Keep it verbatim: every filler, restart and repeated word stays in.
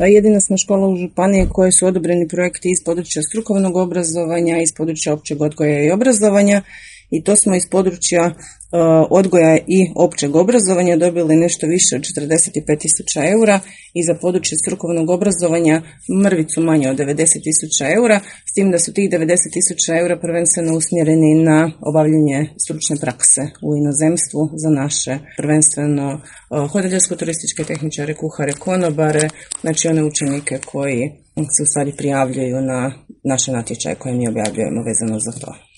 Jedina smo škola u županiji koje su odobreni projekti iz područja strukovnog obrazovanja, iz područja općeg odgoja i obrazovanja, i to smo iz područja odgoja i općeg obrazovanja dobili nešto više od četrdeset pet tisuća eura i za područje strukovnog obrazovanja mrvicu manje od devedeset tisuća eura, s tim da su tih devedeset tisuća eura prvenstveno usmjereni na obavljanje stručne prakse u inozemstvu za naše prvenstveno hotelijersko-turističke tehničare, kuhare, konobare, znači one učenike koji se u stvari prijavljuju na naše natječaje koje mi objavljujemo vezano za to.